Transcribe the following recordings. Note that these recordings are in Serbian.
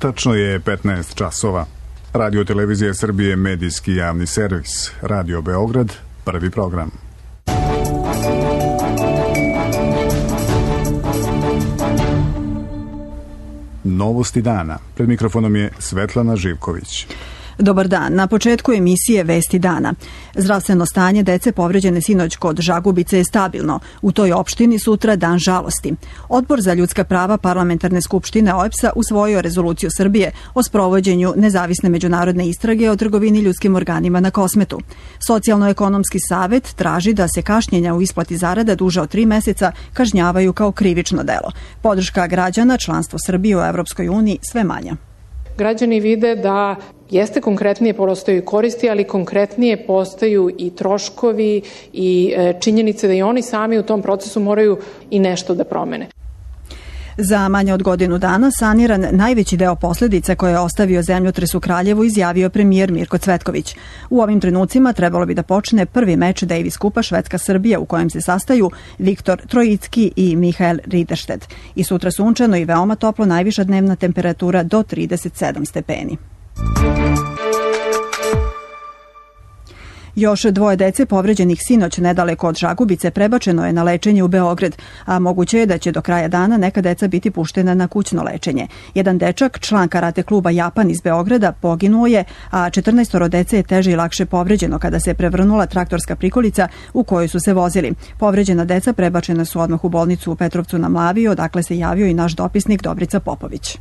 Tačno je 15 časova. Radio Televizija Srbije, medijski javni servis. Radio Beograd, prvi program. Novosti dana. Pred mikrofonom je Svetlana Živković. Dobar dan. Na početku emisije Vesti dana. Zdravstveno stanje dece povređene sinoć kod Žagubice je stabilno. U toj opštini sutra dan žalosti. Odbor za ljudska prava Parlamentarne skupštine OEBS-a usvojio rezoluciju Srbije o sprovođenju nezavisne međunarodne istrage o trgovini ljudskim organima na Kosmetu. Socijalno-ekonomski savet traži da se kašnjenja u isplati zarada duže od 3 meseca kažnjavaju kao krivično delo. Podrška građana, članstvo Srbije u Evropskoj uniji sve manja. Građani vide da jeste konkretnije postaju koristi, ali konkretnije postaju i troškovi i činjenice da i oni sami u tom procesu moraju i nešto da promene. Za manje od godinu dana saniran najveći deo posljedica koje je ostavio zemljotres u Kraljevu, izjavio premijer Mirko Cvetković. U ovim trenucima trebalo bi da počne prvi meč Davis kupa Švedska-Srbija u kojem se sastaju Viktor Trojicki i Mihael Ridderstedt. I sutra sunčano i veoma toplo, najviša dnevna temperatura do 37 stepeni. Još 2 dece povređenih sinoć nedaleko od Žagubice prebačeno je na lečenje u Beograd, a moguće je da će do kraja dana neka deca biti puštena na kućno lečenje. Jedan dečak, član karate kluba Japan iz Beograda, poginuo je, a 14 dece je teže i lakše povređeno kada se prevrnula traktorska prikolica u kojoj su se vozili. Povređena deca prebačena su odmah u bolnicu u Petrovcu na Mlavi, odakle se javio i naš dopisnik Dobrica Popović.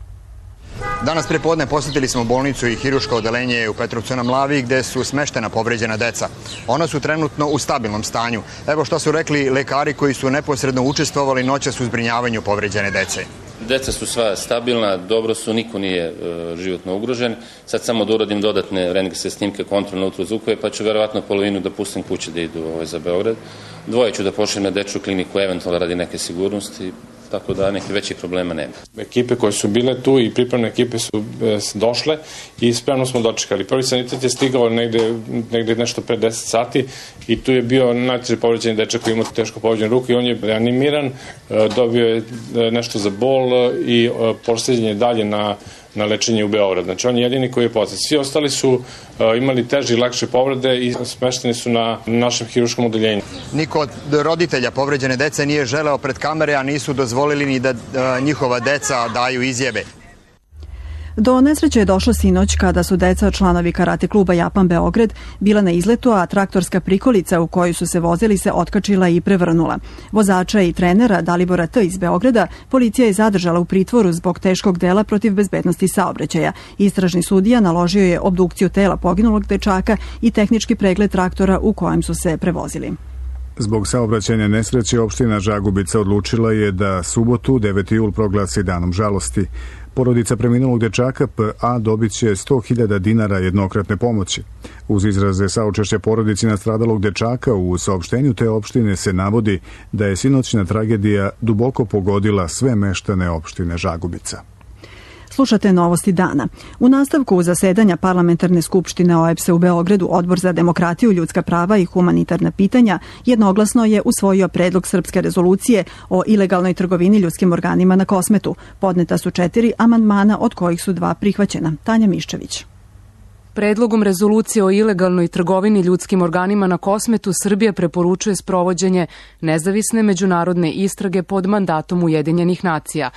Danas prepodne posjetili smo bolnicu i hirurško odeljenje u Petrovcu na Mlavi gde su smeštena povređena deca. Ona su trenutno u stabilnom stanju. Evo što su rekli lekari koji su neposredno učestvovali noćas u zbrinjavanju povređene dece. Deca su sva stabilna, dobro su, niko nije životno ugrožen. Sad samo da uradim dodatne rentgenske snimke, kontrolne ultrazvukove, pa ću verovatno polovinu da pustim kuće da idu za Beograd. 2 ću da pošaljem na dečju kliniku, eventualno radi neke sigurnosti, tako da nekih većih problema nema. Ekipe koje su bile tu i pripremne ekipe su došle i spremno smo dočekali. Prvi sanitet je stigao negde nešto pre 10 sati i tu je bio najteže povređeni dečak koji ima teško povređenu ruku i on je reanimiran, dobio je nešto za bol i prosleđen je dalje na lečenje u Beograd. Znači on je jedini koji je posled. Svi ostali su imali teže i lakše povrede i smešteni su na našem hirurškom odeljenju. Niko od roditelja povređene dece nije želeo pred kamere, a nisu dozvolili ni da njihova deca daju izjave. Do nesreće je došlo sinoć kada su deca članovi karate kluba Japan Beograd bila na izletu, a traktorska prikolica u kojoj su se vozili se otkačila i prevrnula. Vozača i trenera Dalibora T. iz Beograda policija je zadržala u pritvoru zbog teškog dela protiv bezbednosti saobraćaja. Istražni sudija naložio je obdukciju tela poginulog dečaka i tehnički pregled traktora u kojem su se prevozili. Zbog saobraćajne nesreće opština Žagubica odlučila je da subotu 9. jul proglasi danom žalosti. Porodica preminulog dečaka P.A. dobit će 100.000 dinara jednokratne pomoći. Uz izraze saučešća porodici nastradalog dečaka u saopštenju te opštine se navodi da je sinoćna tragedija duboko pogodila sve meštane opštine Žagubica. Slušate novosti dana. U nastavku zasedanja Parlamentarne skupštine OEBS-a u Beogradu, Odbor za demokratiju, ljudska prava i humanitarna pitanja jednoglasno je usvojio predlog srpske rezolucije o ilegalnoj trgovini ljudskim organima na Kosmetu. Podneta su 4 amandmana, od kojih su 2 prihvaćena. Tanja Miščević. Predlogom rezolucije o ilegalnoj trgovini ljudskim organima na Kosmetu Srbija preporučuje sprovođenje nezavisne međunarodne istrage pod mandatom Ujedinjenih nacija.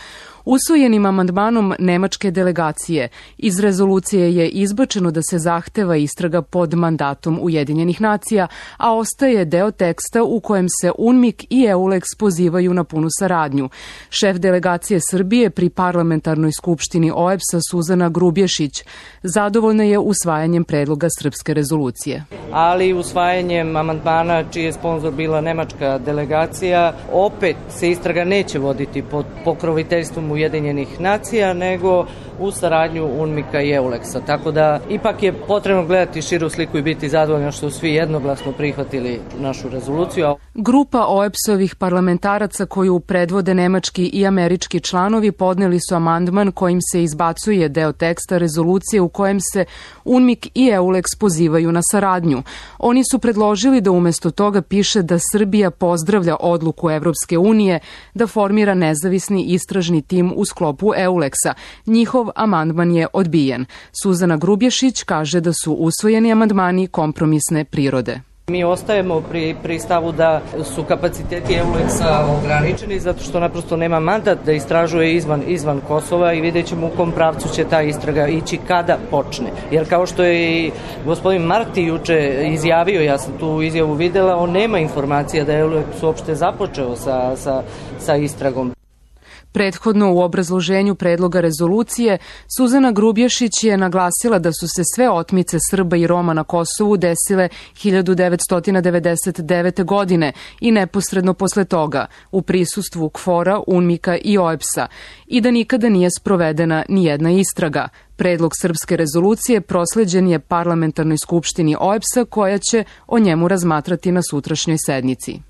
Usvojenim amandmanom nemačke delegacije iz rezolucije je izbačeno da se zahteva istraga pod mandatom Ujedinjenih nacija, a ostaje deo teksta u kojem se UNMIK i EULEX pozivaju na punu saradnju. Šef delegacije Srbije pri Parlamentarnoj skupštini OEBS-a Suzana Grubješić zadovoljna je usvajanjem predloga srpske rezolucije. Ali usvajanjem amandmana čiji je sponsor bila nemačka delegacija, opet se istraga neće voditi pod pokroviteljstvom Ujedinjenih nacija, nego u saradnju UNMIK-a i EULEX-a. Tako da ipak je potrebno gledati širu sliku i biti zadovoljno što svi jednoglasno prihvatili našu rezoluciju. Grupa OEBS-ovih parlamentaraca koju predvode nemački i američki članovi podneli su amandman kojim se izbacuje deo teksta rezolucije u kojem se UNMIK i EULEX pozivaju na saradnju. Oni su predložili da umesto toga piše da Srbija pozdravlja odluku Evropske unije da formira nezavisni istražni tim u sklopu EULEX-a. Njihov amandman je odbijen. Suzana Grubješić kaže da su usvojeni amandmani kompromisne prirode. Mi ostajemo pri stavu da su kapaciteti EULEX-a ograničeni zato što naprosto nema mandat da istražuje izvan Kosova i vidjet ćemo u kom pravcu će ta istraga ići kada počne. Jer kao što je i gospodin Marti juče izjavio, ja sam tu izjavu videla, on nema informacija da je EULEX uopšte započeo sa istragom. Prethodno u obrazloženju predloga rezolucije Suzana Grubješić je naglasila da su se sve otmice Srba i Roma na Kosovu desile 1999. godine i neposredno posle toga u prisustvu KFOR-a, UNMIK-a i OEBS-a i da nikada nije sprovedena ni jedna istraga. Predlog srpske rezolucije prosleđen je parlamentarnoj skupštini OEBS-a koja će o njemu razmatrati na sutrašnjoj sednici.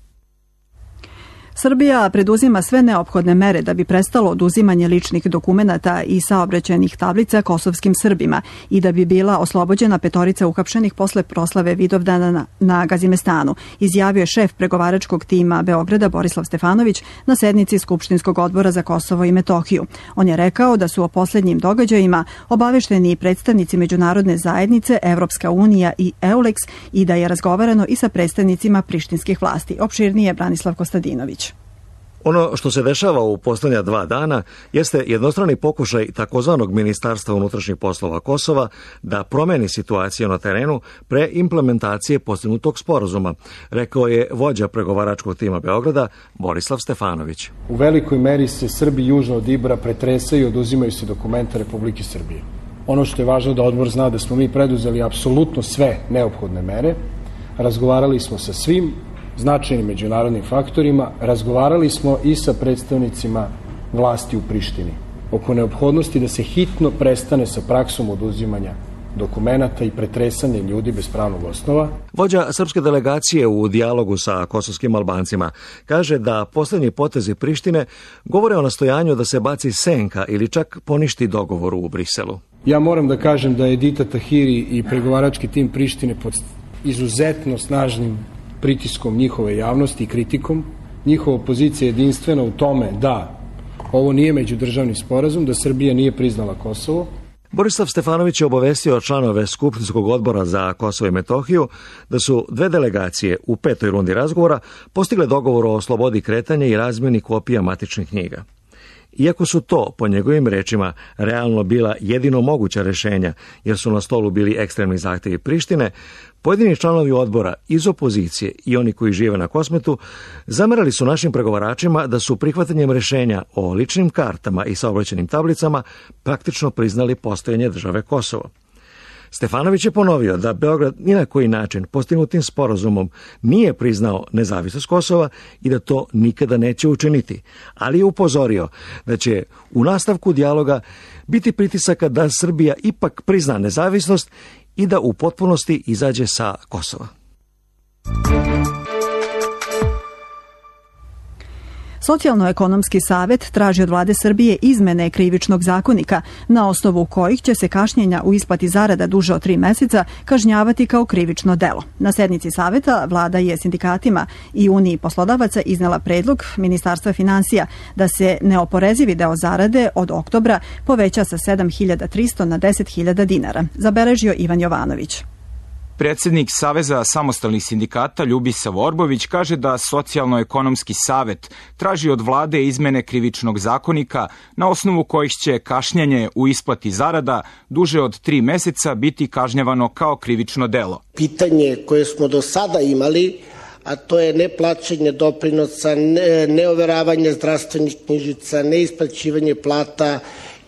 Srbija preduzima sve neophodne mere da bi prestalo oduzimanje ličnih dokumenata i saobraćajnih tablica kosovskim Srbima i da bi bila oslobođena petorica uhapšenih posle proslave Vidovdana na Gazimestanu, izjavio je šef pregovaračkog tima Beograda Borislav Stefanović na sednici Skupštinskog odbora za Kosovo i Metohiju. On je rekao da su o poslednjim događajima obavešteni i predstavnici međunarodne zajednice, Evropska unija i EULEX i da je razgovarano i sa predstavnicima prištinskih vlasti. Opširnije Branislav Kostadinović. Ono što se dešava u poslednja 2 dana jeste jednostrani pokušaj takozvanog Ministarstva unutrašnjih poslova Kosova da promeni situaciju na terenu pre implementacije postignutog sporazuma, rekao je vođa pregovaračkog tima Beograda Borislav Stefanović. U velikoj meri se Srbi južno od Ibra pretresaju i oduzimaju se dokumenta Republike Srbije. Ono što je važno da odbor zna da smo mi preduzeli apsolutno sve neophodne mere, razgovarali smo sa svim značajnim međunarodnim faktorima, razgovarali smo i sa predstavnicima vlasti u Prištini oko neophodnosti da se hitno prestane sa praksom oduzimanja dokumenata i pretresanje ljudi bez pravnog osnova. Vođa srpske delegacije u dijalogu sa kosovskim Albancima kaže da poslednji potezi Prištine govore o nastojanju da se baci senka ili čak poništi dogovor u Briselu. Ja moram da kažem da je Edita Tahiri i pregovarački tim Prištine pod izuzetno snažnim pritiskom njihove javnosti i kritikom. Njihova pozicija je jedinstvena u tome da ovo nije međudržavni sporazum, da Srbija nije priznala Kosovo. Borislav Stefanović je obavestio članove Skupštinskog odbora za Kosovo i Metohiju da su 2 delegacije u 5. rundi razgovora postigle dogovor o slobodi kretanja i razmjeni kopija matičnih knjiga. Iako su to, po njegovim rečima, realno bila jedino moguća rešenja, jer su na stolu bili ekstremni zahtevi Prištine, pojedini članovi odbora iz opozicije i oni koji žive na Kosmetu zamerali su našim pregovaračima da su prihvatanjem rešenja o ličnim kartama i saobraćajnim tablicama praktično priznali postojanje države Kosovo. Stefanović je ponovio da Beograd ni na koji način postignutim sporazumom nije priznao nezavisnost Kosova i da to nikada neće učiniti, ali je upozorio da će u nastavku dijaloga biti pritisaka da Srbija ipak prizna nezavisnost i da u potpunosti izađe sa Kosova. Socijalno-ekonomski savet traži od vlade Srbije izmene krivičnog zakonika, na osnovu kojih će se kašnjenja u isplati zarada duže od 3 meseca kažnjavati kao krivično delo. Na sednici saveta vlada je sindikatima i Uniji poslodavaca iznela predlog Ministarstva finansija da se neoporezivi deo zarade od oktobra poveća sa 7.300 na 10.000 dinara, zabeležio Ivan Jovanović. Predsednik Saveza samostalnih sindikata Ljubisav Orbović kaže da Socijalno-ekonomski savet traži od vlade izmene krivičnog zakonika na osnovu kojih će kašnjenje u isplati zarada duže od 3 meseca biti kažnjavano kao krivično delo. Pitanje koje smo do sada imali, a to je neplaćanje doprinosa, neoveravanje zdravstvenih knjižica, neisplaćivanje plata,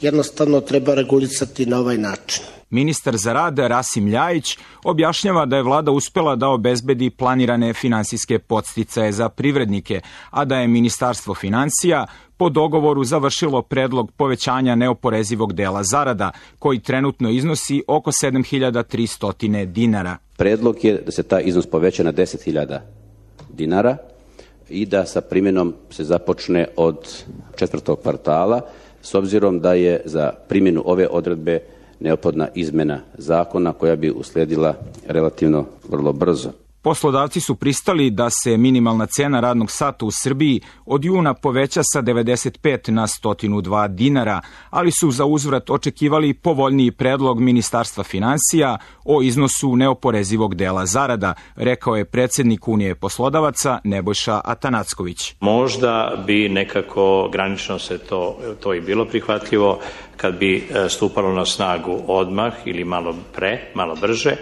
jednostavno treba regulisati na ovaj način. Ministar za rad Rasim Ljajić objašnjava da je vlada uspela da obezbedi planirane finansijske podsticaje za privrednike, a da je Ministarstvo finansija po dogovoru završilo predlog povećanja neoporezivog dela zarada, koji trenutno iznosi oko 7.300 dinara. Predlog je da se taj iznos poveća na 10.000 dinara i da sa primjenom se započne od 4. kvartala, s obzirom da je za primjenu ove odredbe neophodna izmena zakona koja bi uslijedila relativno vrlo brzo. Poslodavci su pristali da se minimalna cena radnog sata u Srbiji od juna poveća sa 95 na 102 dinara, ali su za uzvrat očekivali povoljniji predlog Ministarstva finansija o iznosu neoporezivog dela zarada, rekao je predsednik Unije poslodavaca Nebojša Atanacković. Možda bi nekako granično se to i bilo prihvatljivo kad bi stupalo na snagu odmah ili malo brže,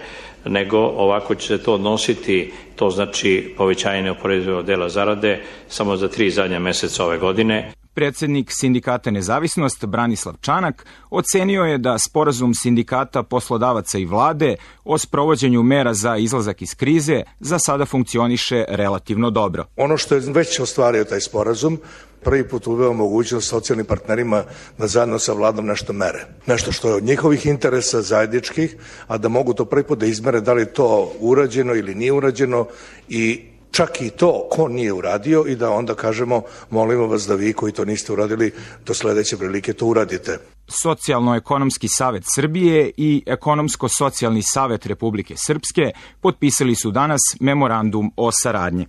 nego ovako će se to odnositi, to znači povećanje neoporezivog dela zarade samo za 3 zadnja meseca ove godine. Predsednik Sindikata Nezavisnost Branislav Čanak ocenio je da sporazum sindikata poslodavaca i vlade o sprovođenju mera za izlazak iz krize za sada funkcioniše relativno dobro. Ono što je već ostvario taj sporazum, prvi put uveo mogućnost socijalnim partnerima da zajedno sa vladom nešto mere. Nešto što je od njihovih interesa zajedničkih, a da mogu to prvi put da izmere da li je to urađeno ili nije urađeno i čak i to ko nije uradio i da onda kažemo molimo vas da vi koji to niste uradili do sledeće prilike to uradite. Socijalno-ekonomski savet Srbije i Ekonomsko-socijalni savet Republike Srpske potpisali su danas memorandum o saradnji.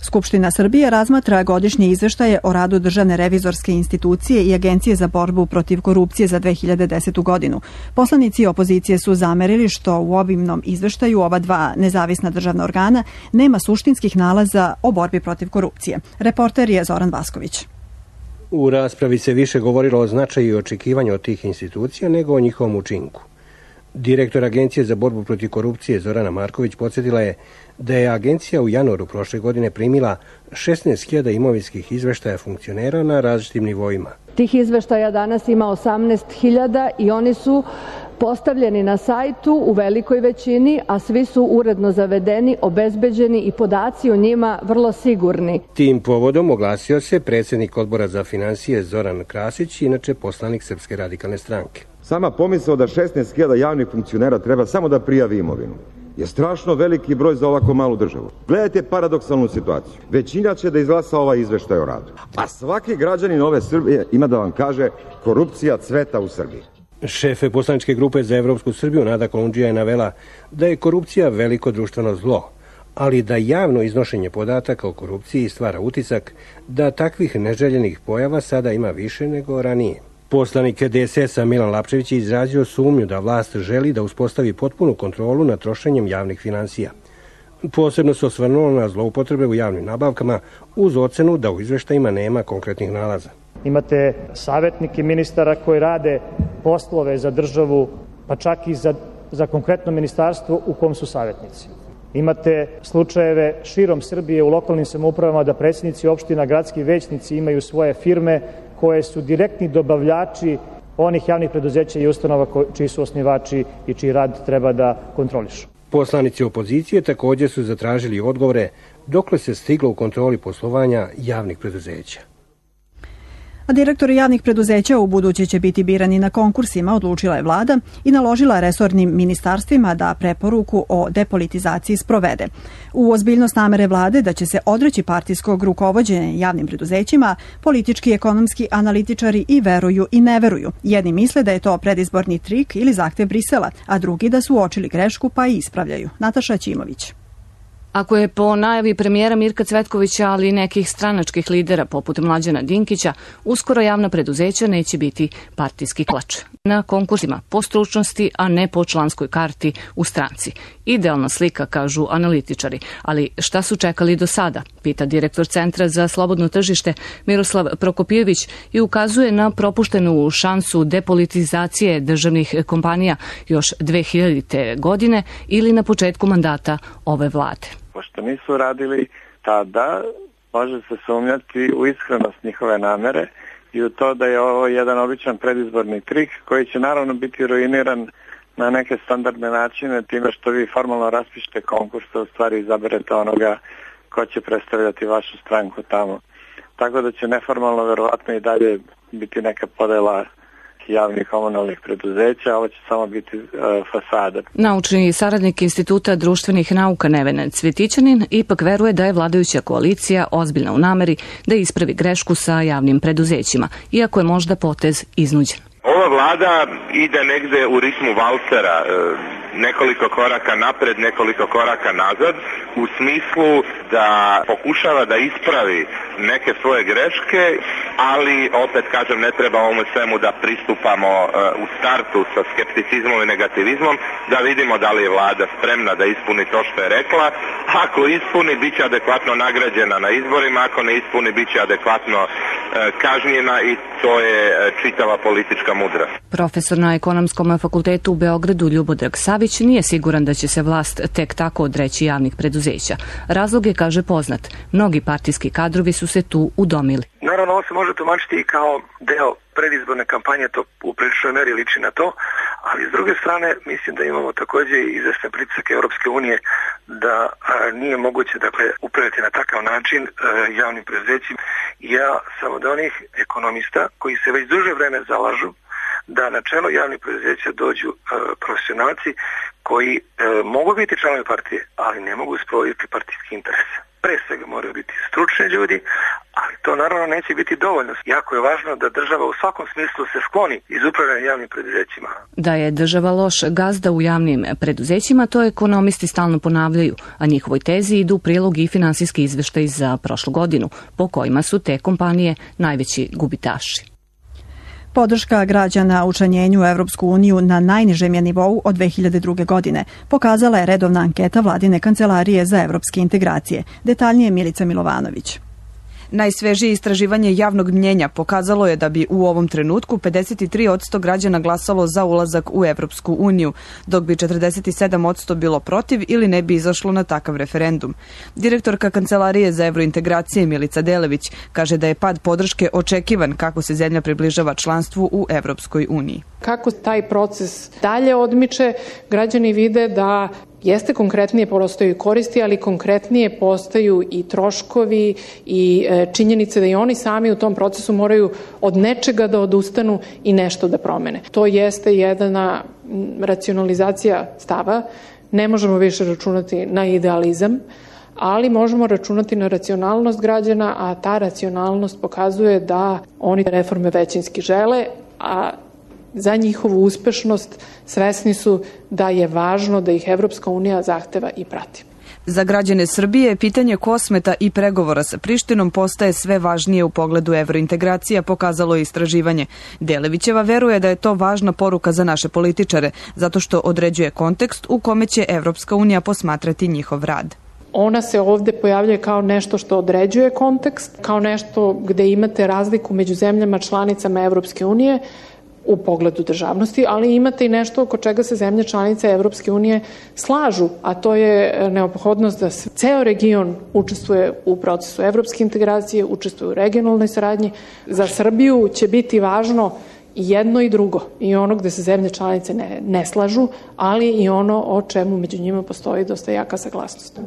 Skupština Srbije razmatra godišnje izveštaje o radu Državne revizorske institucije i Agencije za borbu protiv korupcije za 2010. godinu. Poslanici opozicije su zamerili što u obimnom izveštaju ova dva nezavisna državna organa nema suštinskih nalaza o borbi protiv korupcije. Reporter je Zoran Vasković. U raspravi se više govorilo o značaju i očekivanju od tih institucija nego o njihovom učinku. Direktor Agencije za borbu protiv korupcije Zorana Marković podsjetila je da je agencija u januaru prošle godine primila 16.000 imovinskih izveštaja funkcionera na različitim nivoima. Tih izveštaja danas ima 18.000 i oni su postavljeni na sajtu u velikoj većini, a svi su uredno zavedeni, obezbeđeni i podaci o njima vrlo sigurni. Tim povodom oglasio se predsjednik Odbora za finansije Zoran Krasić, inače poslanik Srpske radikalne stranke. Sama pomisao da 16.000 javnih funkcionera treba samo da prijavi imovinu je strašno veliki broj za ovako malu državu. Gledajte paradoksalnu situaciju. Većina će da izglasa ovaj izveštaj o radu, a svaki građanin ove Srbije ima da vam kaže korupcija cveta u Srbiji. Šefe poslaničke grupe za Evropsku Srbiju Nada Kolundžija je navela da je korupcija veliko društveno zlo, ali da javno iznošenje podataka o korupciji stvara utisak da takvih neželjenih pojava sada ima više nego ranije. Poslanik DSS-a Milan Lapčević je izrazio sumnju da vlast želi da uspostavi potpunu kontrolu nad trošenjem javnih finansija. Posebno se osvrnulo na zloupotrebe u javnim nabavkama uz ocenu da u izveštajima nema konkretnih nalaza. Imate savjetnike ministara koji rade poslove za državu, pa čak i za konkretno ministarstvo u kom su savjetnici. Imate slučajeve širom Srbije u lokalnim samoupravama da predsjednici opština, gradski većnici imaju svoje firme koje su direktni dobavljači onih javnih preduzeća i ustanova čiji su osnivači i čiji rad treba da kontrolišu. Poslanici opozicije također su zatražili odgovore dokle se stiglo u kontroli poslovanja javnih preduzeća. A direktori javnih preduzeća u buduće će biti birani na konkursima, odlučila je vlada i naložila resornim ministarstvima da preporuku o depolitizaciji sprovede. U ozbiljnost namere vlade da će se odreći partijskog rukovođenja javnim preduzećima, politički, ekonomski analitičari i veruju i ne veruju. Jedni misle da je to predizborni trik ili zahtev Brisela, a drugi da su uočili grešku pa i ispravljaju. Nataša Ćimović. Ako je po najavi premijera Mirka Cvetkovića, ali i nekih stranačkih lidera poput Mlađana Dinkića, uskoro javna preduzeća neće biti partijski klač. Na konkursima po stručnosti, a ne po članskoj karti u stranci. Idealna slika, kažu analitičari. Ali šta su čekali do sada? Pita direktor Centra za slobodno tržište Miroslav Prokopijević i ukazuje na propuštenu šansu depolitizacije državnih kompanija još 2000. godine ili na početku mandata ove vlade. Pošto nisu radili tada, može se sumnjati u iskrenost njihove namere i u to da je ovo jedan običan predizborni trik koji će naravno biti ruiniran na neke standardne načine time što vi formalno raspišete konkurs, u stvari izaberete onoga ko će predstavljati vašu stranku tamo. Tako da će neformalno verovatno i dalje biti neka podela javnih komunalnih preduzeća, ovo će samo biti fasada. Naučni saradnik Instituta društvenih nauka Nevena Cvetićanin ipak veruje da je vladajuća koalicija ozbiljna u nameri da ispravi grešku sa javnim preduzećima, iako je možda potez iznuđen. Ova ova vlada ide negde u ritmu valcera, nekoliko koraka napred, nekoliko koraka nazad, u smislu da pokušava da ispravi neke svoje greške, ali opet kažem, ne treba ovome svemu da pristupamo u startu sa skepticizmom i negativizmom, da vidimo da li je vlada spremna da ispuni to što je rekla. Ako ispuni, bit će adekvatno nagrađena na izborima, ako ne ispuni, bit će adekvatno kažnjena i to je čitava politička mudrost. Profesor na Ekonomskom fakultetu u Beogradu Ljubodrag Savić nije siguran da će se vlast tek tako odreći javnih preduzeća. Razlog je, kaže, poznat. Mnogi partijski kadrovi su se tu udomili. Naravno, ovo se može tumačiti i kao deo predizborne kampanje, to u priličnoj meri liči na to, ali s druge strane mislim da imamo takođe i izvesne pritiske Europske unije da nije moguće upraviti na takav način javnim preduzećima. Ja sam od onih ekonomista koji se već duže vreme zalažu da na čelo javnih preduzeća dođu profesionalci koji mogu biti članovi partije, ali ne mogu sprovoditi partijski interes. Pre svega moraju biti stručni ljudi, ali to naravno neće biti dovoljno. Jako je važno da država u svakom smislu se skloni iz upravljanja javnim preduzećima. Da je država loš gazda u javnim preduzećima, to ekonomisti stalno ponavljaju, a njihovoj tezi idu u prilog i finansijski izveštaj za prošlu godinu, po kojima su te kompanije najveći gubitaši. Podrška građana učlanjenju u Evropsku uniju na najnižem je nivou od 2002. godine. Pokazala je redovna anketa Vladine kancelarije za evropske integracije. Detaljnije Milica Milovanović. Najsvežije istraživanje javnog mnjenja pokazalo je da bi u ovom trenutku 53% građana glasalo za ulazak u Evropsku uniju, dok bi 47% bilo protiv ili ne bi izašlo na takav referendum. Direktorka Kancelarije za evrointegracije Milica Delević kaže da je pad podrške očekivan kako se zemlja približava članstvu u Evropskoj uniji. Kako taj proces dalje odmiče, građani vide da jeste konkretnije postaju koristi, ali konkretnije postaju i troškovi i činjenice da i oni sami u tom procesu moraju od nečega da odustanu i nešto da promene. To jeste jedna racionalizacija stava. Ne možemo više računati na idealizam, ali možemo računati na racionalnost građana, a ta racionalnost pokazuje da oni reforme većinski žele, a za njihovu uspešnost svesni su da je važno da ih Evropska unija zahteva i prati. Za građane Srbije pitanje Kosmeta i pregovora sa Prištinom postaje sve važnije u pogledu evrointegracija, pokazalo je istraživanje. Delevićeva veruje da je to važna poruka za naše političare, zato što određuje kontekst u kome će Evropska unija posmatrati njihov rad. Ona se ovde pojavljuje kao nešto što određuje kontekst, kao nešto gde imate razliku među zemljama članicama Evropske unije, u pogledu državnosti, ali imate i nešto oko čega se zemlje članice Evropske unije slažu, a to je neophodnost da ceo region učestvuje u procesu evropske integracije, učestvuje u regionalnoj saradnji. Za Srbiju će biti važno i jedno i drugo, i ono gde se zemlje članice ne slažu, ali i ono o čemu među njima postoji dosta jaka saglasnost.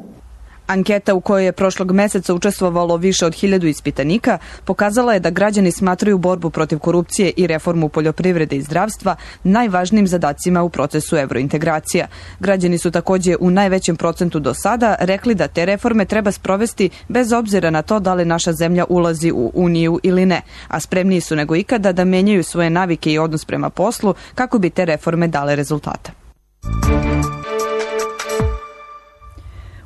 Anketa u kojoj je prošlog meseca učestvovalo više od 1000 ispitanika pokazala je da građani smatraju borbu protiv korupcije i reformu poljoprivrede i zdravstva najvažnijim zadacima u procesu evrointegracija. Građani su takođe u najvećem procentu do sada rekli da te reforme treba sprovesti bez obzira na to da li naša zemlja ulazi u Uniju ili ne, a spremniji su nego ikada da menjaju svoje navike i odnos prema poslu kako bi te reforme dale rezultata.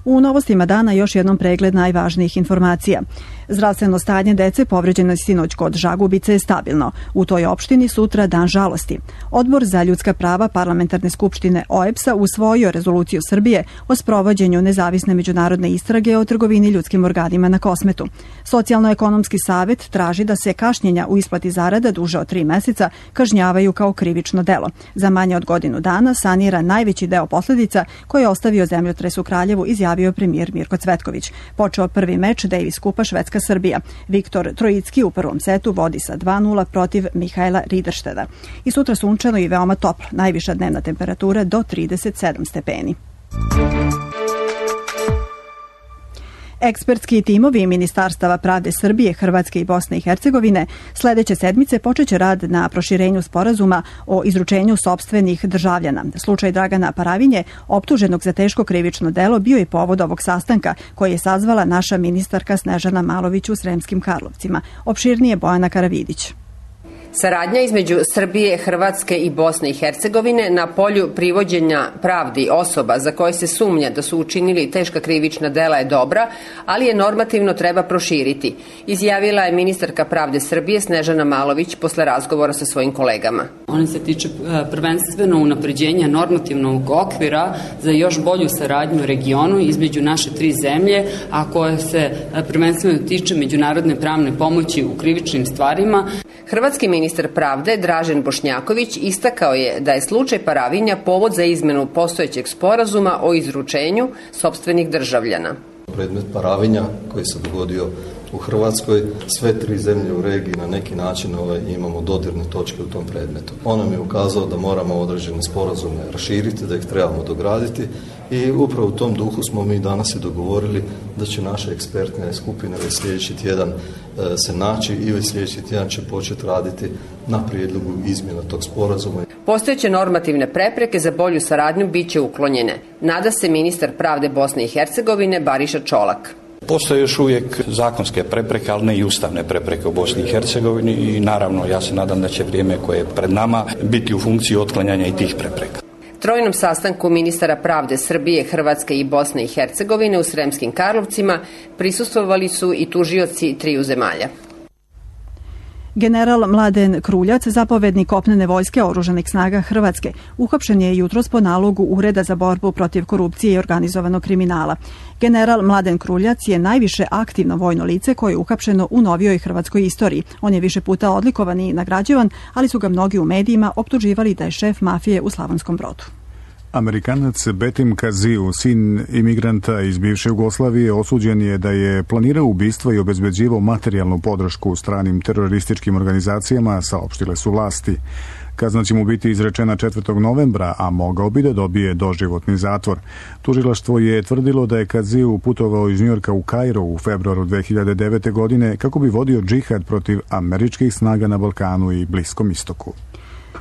U novostima dana još jednom pregled najvažnijih informacija. Zdravstveno stanje dece povređeno sinoć kod Žagubice je stabilno. U toj opštini sutra dan žalosti. Odbor za ljudska prava Parlamentarne skupštine OEBS-a usvojio rezoluciju Srbije o sprovođenju nezavisne međunarodne istrage o trgovini ljudskim organima na Kosmetu. Socijalno-ekonomski savet traži da se kašnjenja u isplati zarada duže od 3 meseca kažnjavaju kao krivično delo. Za manje od godinu dana sanira najveći deo posledica koji je ostavio zemljotres u Kraljevu, izjavio premijer Mirko Cvetković. Počeo prvi meč Davis Kupa Švedska-Srbija. Viktor Trojicki u prvom setu vodi sa 2:0 protiv Mihaela Rideršteda. I sutra sunčano i veoma toplo. Najviša dnevna temperatura do 37 stepeni. Ekspertski timovi Ministarstava pravde Srbije, Hrvatske i Bosne i Hercegovine sledeće sedmice počeće rad na proširenju sporazuma o izručenju sopstvenih državljana. Slučaj Dragana Paravinje, optuženog za teško krivično delo, bio je povod ovog sastanka koji je sazvala naša ministarka Snežana Malović u Sremskim Karlovcima. Opširnije Bojana Karavidić. Saradnja između Srbije, Hrvatske i Bosne i Hercegovine na polju privođenja pravdi osoba za koje se sumnja da su učinili teška krivična dela je dobra, ali je normativno treba proširiti, izjavila je ministarka pravde Srbije Snežana Malović posle razgovora sa svojim kolegama. On se tiče prvenstveno unapređenja normativnog okvira za još bolju saradnju u regionu između naše 3 zemlje, a koje se prvenstveno tiče međunarodne pravne pomoći u krivičnim stvarima. Hrvatski ministar pravde Dražen Bošnjaković istakao je da je slučaj Paravinja povod za izmenu postojećeg sporazuma o izručenju sopstvenih državljana. Predmet Paravinja koji se dogodio u Hrvatskoj, sve 3 zemlje u regiji na neki način imamo dodirne točke u tom predmetu. On nam je ukazao da moramo određene sporazume raširiti, da ih trebamo dograditi i upravo u tom duhu smo mi danas i dogovorili da će naše ekspertne skupine već sljedeći tjedan se naći i već sljedeći tjedan će početi raditi na prijedlogu izmjena tog sporazuma. Postojeće normativne prepreke za bolju saradnju bit će uklonjene, nada se ministar pravde Bosne i Hercegovine Bariša Čolak. Postoje još uvijek zakonske prepreke, ali ne i ustavne prepreke u Bosni i Hercegovini i naravno ja se nadam da će vrijeme koje je pred nama biti u funkciji otklanjanja i tih prepreka. Trojnom sastanku ministara pravde Srbije, Hrvatske i Bosne i Hercegovine u Sremskim Karlovcima prisustvovali su i tužioci 3 zemalja. General Mladen Kruljac, zapovednik kopnene vojske oružanih snaga Hrvatske, uhapšen je jutros po nalogu Ureda za borbu protiv korupcije i organizovanog kriminala. General Mladen Kruljac je najviše aktivno vojno lice koje je uhapšeno u novijoj hrvatskoj istoriji. On je više puta odlikovan i nagrađivan, ali su ga mnogi u medijima optuživali da je šef mafije u Slavonskom Brodu. Amerikanac Betim Kaziu, sin imigranta iz bivše Jugoslavije, osuđen je da je planirao ubistvo i obezbeđivao materijalnu podršku stranim terorističkim organizacijama, saopštile su vlasti. Kazna će mu biti izrečena 4. novembra, a mogao bi da dobije doživotni zatvor. Tužilaštvo je tvrdilo da je Kaziu putovao iz Njujorka u Kairo u februaru 2009. godine kako bi vodio džihad protiv američkih snaga na Balkanu i Bliskom istoku.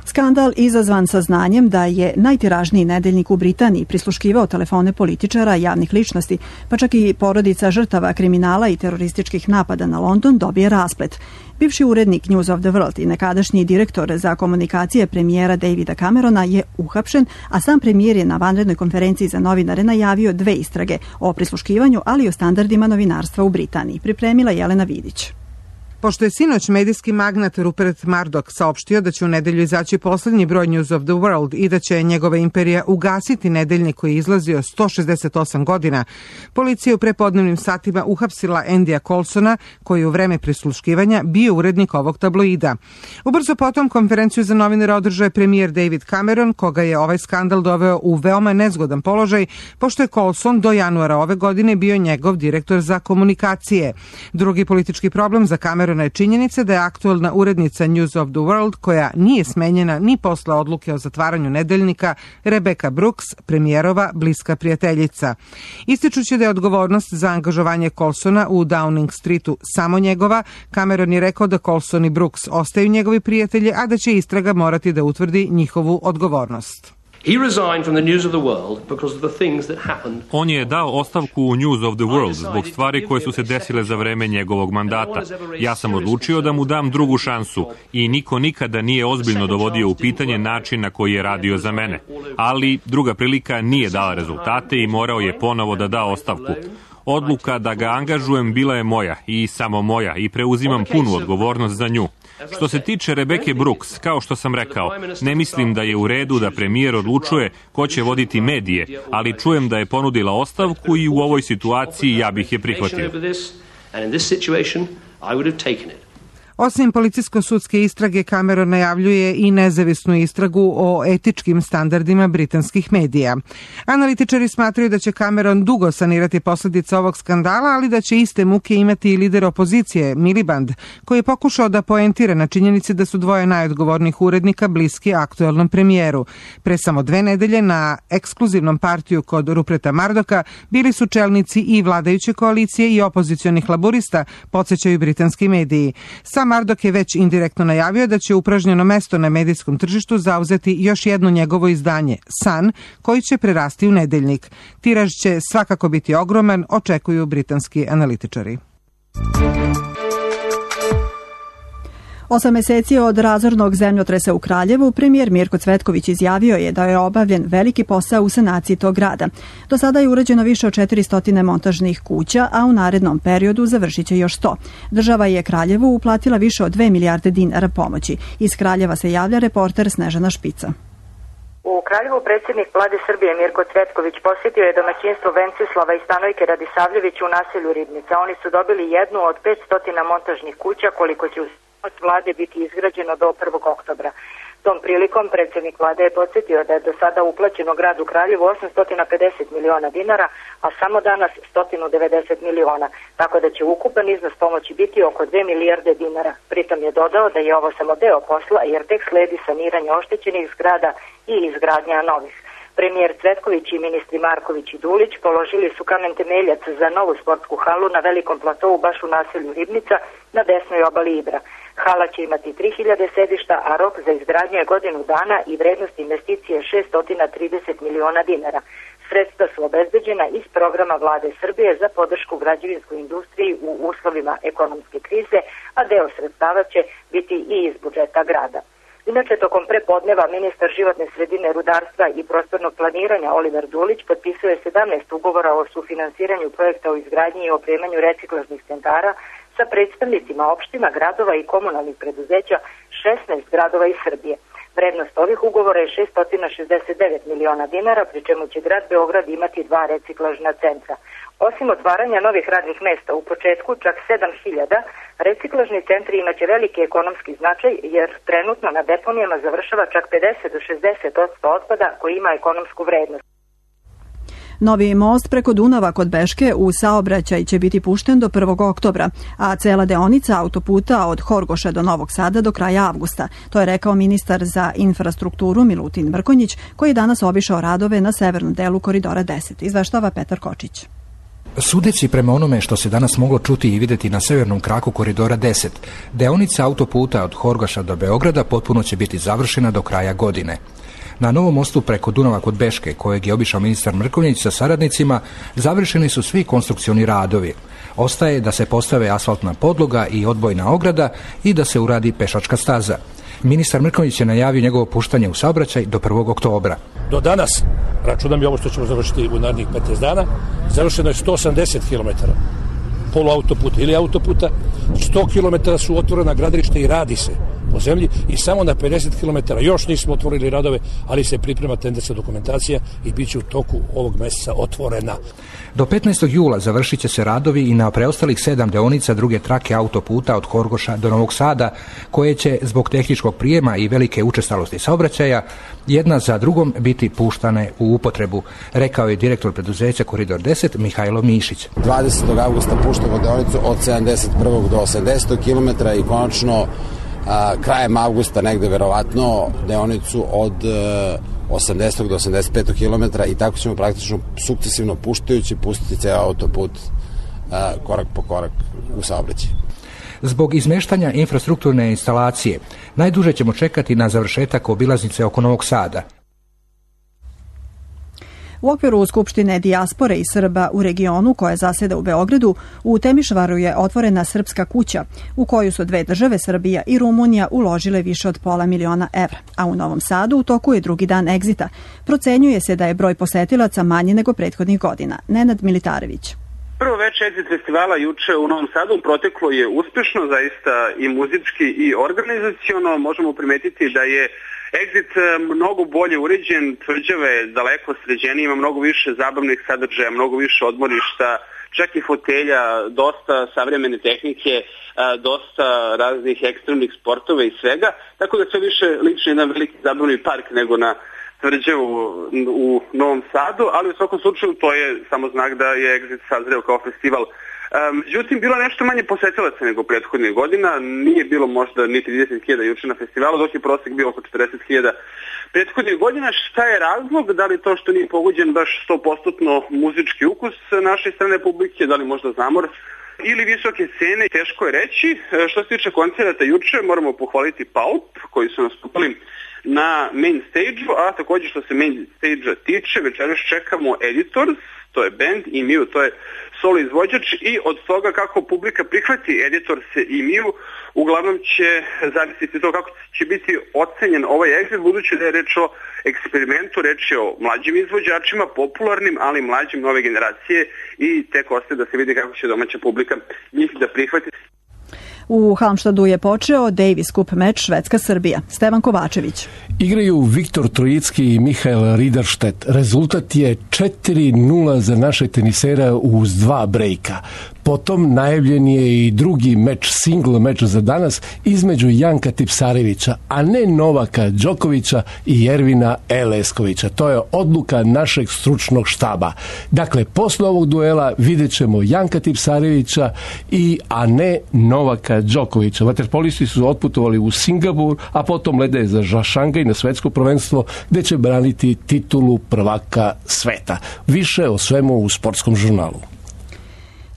Skandal izazvan saznanjem da je najtiražniji nedeljnik u Britaniji prisluškivao telefone političara, javnih ličnosti, pa čak i porodica žrtava kriminala i terorističkih napada na London dobije rasplet. Bivši urednik News of the World i nekadašnji direktor za komunikacije premijera Davida Camerona je uhapšen, a sam premijer je na vanrednoj konferenciji za novinare najavio 2 istrage o prisluškivanju, ali i o standardima novinarstva u Britaniji. Pripremila Jelena Vidić. Pošto je sinoć medijski magnat Rupert Murdoch saopštio da će u nedelju izaći poslednji broj News of the World i da će njegova imperija ugasiti nedeljnik koji je izlazio 168 godina, policija je u prepodnevnim satima uhapsila Andyja Coulsona, koji je u vreme prisluškivanja bio urednik ovog tabloida. Ubrzo potom konferenciju za novinare održao je premijer David Cameron, koga je ovaj skandal doveo u veoma nezgodan položaj, pošto je Coulson do januara ove godine bio njegov direktor za komunikacije. Drugi politički problem za Cameron je činjenica da je aktuelna urednica News of the World, koja nije smenjena ni posle odluke o zatvaranju nedeljnika, Rebecca Brooks, premijerova bliska prijateljica. Ističući da je odgovornost za angažovanje Coulsona u Downing Streetu samo njegova, Cameron je rekao da Coulson i Brooks ostaju njegovi prijatelji, a da će istraga morati da utvrdi njihovu odgovornost. On je dao ostavku u News of the World zbog stvari koje su se desile za vreme njegovog mandata. Ja sam odlučio da mu dam drugu šansu i niko nikada nije ozbiljno dovodio u pitanje način na koji je radio za mene. Ali druga prilika nije dala rezultate i morao je ponovo da da ostavku. Odluka da ga angažujem bila je moja i samo moja i preuzimam punu odgovornost za nju. Što se tiče Rebecca Brooks, kao što sam rekao, ne mislim da je u redu da premijer odlučuje ko će voditi medije, ali čujem da je ponudila ostavku i u ovoj situaciji ja bih je prihvatio. Osim policijsko-sudske istrage, Cameron najavljuje i nezavisnu istragu o etičkim standardima britanskih medija. Analitičari smatraju da će Cameron dugo sanirati posljedice ovog skandala, ali da će iste muke imati i lider opozicije, Miliband, koji je pokušao da poentira na činjenici da su 2 najodgovornijih urednika bliski aktuelnom premijeru. Pre samo 2 nedelje na ekskluzivnom partiju kod Ruperta Murdocha bili su čelnici i vladajuće koalicije i opozicionih laburista, podsjećaju britanski mediji. Murdoch je već indirektno najavio da će upražnjeno mesto na medijskom tržištu zauzeti još jedno njegovo izdanje, Sun, koji će prerasti u nedeljnik. Tiraž će svakako biti ogroman, očekuju britanski analitičari. 8 meseci od razornog zemljotresa u Kraljevu, premijer Mirko Cvetković izjavio je da je obavljen veliki posao u sanaciji tog grada. Do sada je urađeno više od 400 montažnih kuća, a u narednom periodu završit će još 100. Država je Kraljevu uplatila više od 2 milijarde dinara pomoći. Iz Kraljeva se javlja reporter Snežana Špica. U Kraljevu predsjednik Vlade Srbije Mirko Cvetković posjetio je domaćinstvo Vencislava i Stanojke Radisavljević u naselju Ribnica. Oni su dobili jednu od 500 montažnih kuća koliko će od vlade biti izgrađeno do 1. oktobra. Tom prilikom predsjednik vlade je podsjetio da je do sada uplaćeno gradu Kraljevu 850 miliona dinara, a samo danas 190 miliona, tako da će ukupan iznos pomoći biti oko 2 milijarde dinara. Pritom je dodao da je ovo samo deo posla jer tek sledi saniranje oštećenih zgrada i izgradnja novih. Premijer Cvetković i ministri Marković i Dulić položili su kamen temeljac za novu sportsku halu na velikom platovu baš u naselju Ribnica na desnoj obali Ibra. Hala će imati 3000 sedišta, a rok za izgradnju je godinu dana i vrednost investicije 630 miliona dinara. Sredstva su obezbeđena iz programa Vlade Srbije za podršku građevinskoj industriji u uslovima ekonomske krize, a deo sredstava će biti i iz budžeta grada. Inače, tokom prepodneva ministar životne sredine, rudarstva i prostornog planiranja Oliver Dulić potpisuje 17 ugovora o sufinansiranju projekta o izgradnji i opremanju reciklažnih centara sa predstavnicima opština, gradova i komunalnih preduzeća 16 gradova iz Srbije. Vrednost ovih ugovora je 669 miliona dinara, pri čemu će grad Beograd imati 2 reciklažna centra. Osim otvaranja novih radnih mesta u početku, čak 7000, reciklažni centri imaće veliki ekonomski značaj jer trenutno na deponijama završava čak 50 do 60% otpada koji ima ekonomsku vrednost. Novi most preko Dunava kod Beške u saobraćaj će biti pušten do 1. oktobra, a cela deonica autoputa od Horgoša do Novog Sada do kraja avgusta. To je rekao ministar za infrastrukturu Milutin Mrkonjić, koji je danas obišao radove na severnom delu Koridora 10. Izveštava Petar Kočić. Sudeći prema onome što se danas moglo čuti i vidjeti na severnom kraku Koridora 10, deonica autoputa od Horgoša do Beograda potpuno će biti završena do kraja godine. Na novom mostu preko Dunava kod Beške, kojeg je obišao ministar Mrkonjić sa saradnicima, završeni su svi konstrukcioni radovi. Ostaje da se postave asfaltna podloga i odbojna ograda i da se uradi pešačka staza. Ministar Mrkonjić je najavio njegovo puštanje u saobraćaj do 1. oktobra. Do danas, računam i ovo što ćemo završiti u narednih 15 dana, završeno je 180 km poluautoputa ili autoputa, 100 km su otvorena gradilišta i radi se po zemlji i samo na 50 km još nismo otvorili radove, ali se priprema tenderska dokumentacija i bit će u toku ovog meseca otvorena. Do 15. jula završit će se radovi i na preostalih 7 deonica druge trake autoputa od Horgoša do Novog Sada, koje će zbog tehničkog prijema i velike učestalosti saobraćaja jedna za drugom biti puštane u upotrebu, rekao je direktor preduzeća Koridor 10 Mihajlo Mišić. 20. avgusta puštamo deonicu od 71. do 80. km i konačno krajem avgusta negde verovatno deonicu od 80. do 85. km i tako ćemo praktično sukcesivno puštajući pustiti ceo autoput korak po korak u saobraćaj. Zbog izmeštanja infrastrukturne instalacije najduže ćemo čekati na završetak obilaznice oko Novog Sada. U okviru Skupštine dijaspore i Srba u regionu koja zaseda u Beogradu, u Temišvaru je otvorena Srpska kuća u koju su dve države, Srbija i Rumunija, uložile više od $500.000 evra. A u Novom Sadu u toku je drugi dan egzita. Procenjuje se da je broj posetilaca manji nego prethodnih godina. Nenad Militarević. Prvo veče Exit festivala juče u Novom Sadu proteklo je uspešno, zaista i muzički i organizaciono. Možemo primetiti da je Exit mnogo bolje uređen, tvrđave daleko sređenije, ima mnogo više zabavnih sadržaja, mnogo više odmorišta, čak i fotelja, dosta savremene tehnike, dosta raznih ekstremnih sportova i svega, tako da sve više liči jedan veliki zabavni park nego na tvrđavu u Novom Sadu, ali u svakom slučaju to je samo znak da je Exit sazreo kao festival. Međutim, bilo nešto manje posetilaca nego prethodnih godina, nije bilo možda ni 30.000 juče na festivalu, dok je prosek bio oko 40.000 prethodnih godina. Šta je razlog? Da li to što nije pogođen baš 100% muzički ukus naše strane publike, da li možda zamor ili visoke cene, teško je reći. Što se tiče koncerata juče, moramo pohvaliti Pulp, koji su nastupali na main stage-u, a također što se main stage-a tiče, večeras čekamo Editors, to je band, i Miu, to je solo izvođač i od toga kako publika prihvati Editor se i Miju, uglavnom će zavisiti to kako će biti ocenjen ovaj exit, budući da je reč o eksperimentu, reč je o mlađim izvođačima, popularnim, ali mlađim nove generacije i tek ostaje da se vidi kako će domaća publika njih da prihvati. U Halmštadu je počeo Davis Cup meč Švedska-Srbija. Stevan Kovačević. Igraju Viktor Trojicki i Mihael Riderstedt. Rezultat je 4-0 za naše tenisera uz 2 brejka. Potom najavljen je i drugi meč, single meč za danas između Janka Tipsarevića, a ne Novaka Đokovića i Ervina Eleskovića. To je odluka našeg stručnog štaba. Dakle, posle ovog duela vidjet ćemo Janka Tipsarevića a ne Novaka Đokovića. Vaterpolisti su otputovali u Singapur, a potom lede za Šangaj na svetsko prvenstvo gde će braniti titulu prvaka sveta. Više o svemu u Sportskom žurnalu.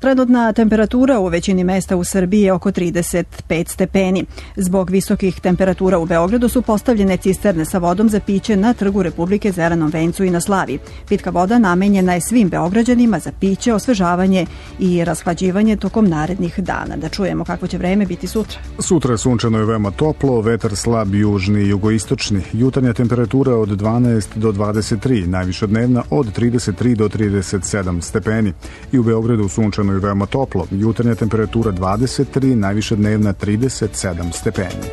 Trenutna temperatura u većini mesta u Srbiji je oko 35 stepeni. Zbog visokih temperatura u Beogradu su postavljene cisterne sa vodom za piće na Trgu Republike, Zelenom vencu i na Slavi. Pitka voda namenjena je svim Beograđanima za piće, osvežavanje i rashlađivanje tokom narednih dana. Da čujemo kako će vreme biti sutra. Sutra sunčano je veoma toplo, vetar slab južni i jugoistočni. Jutarnja temperatura od 12 do 23, najviša dnevna od 33 do 37 stepeni. I u Beogradu sunčano je veoma toplo. Jutarnja temperatura 23, najviša dnevna 37 stepeni.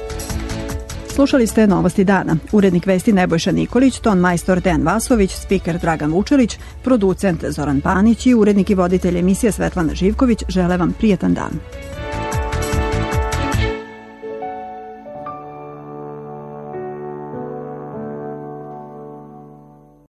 Slušali ste Novosti dana. Urednik vesti Nebojša Nikolić, ton majstor Dejan Vasović, spiker Dragan Vučelić, producent Zoran Panić i urednik i voditelj emisije Svetlana Živković žele vam prijetan dan.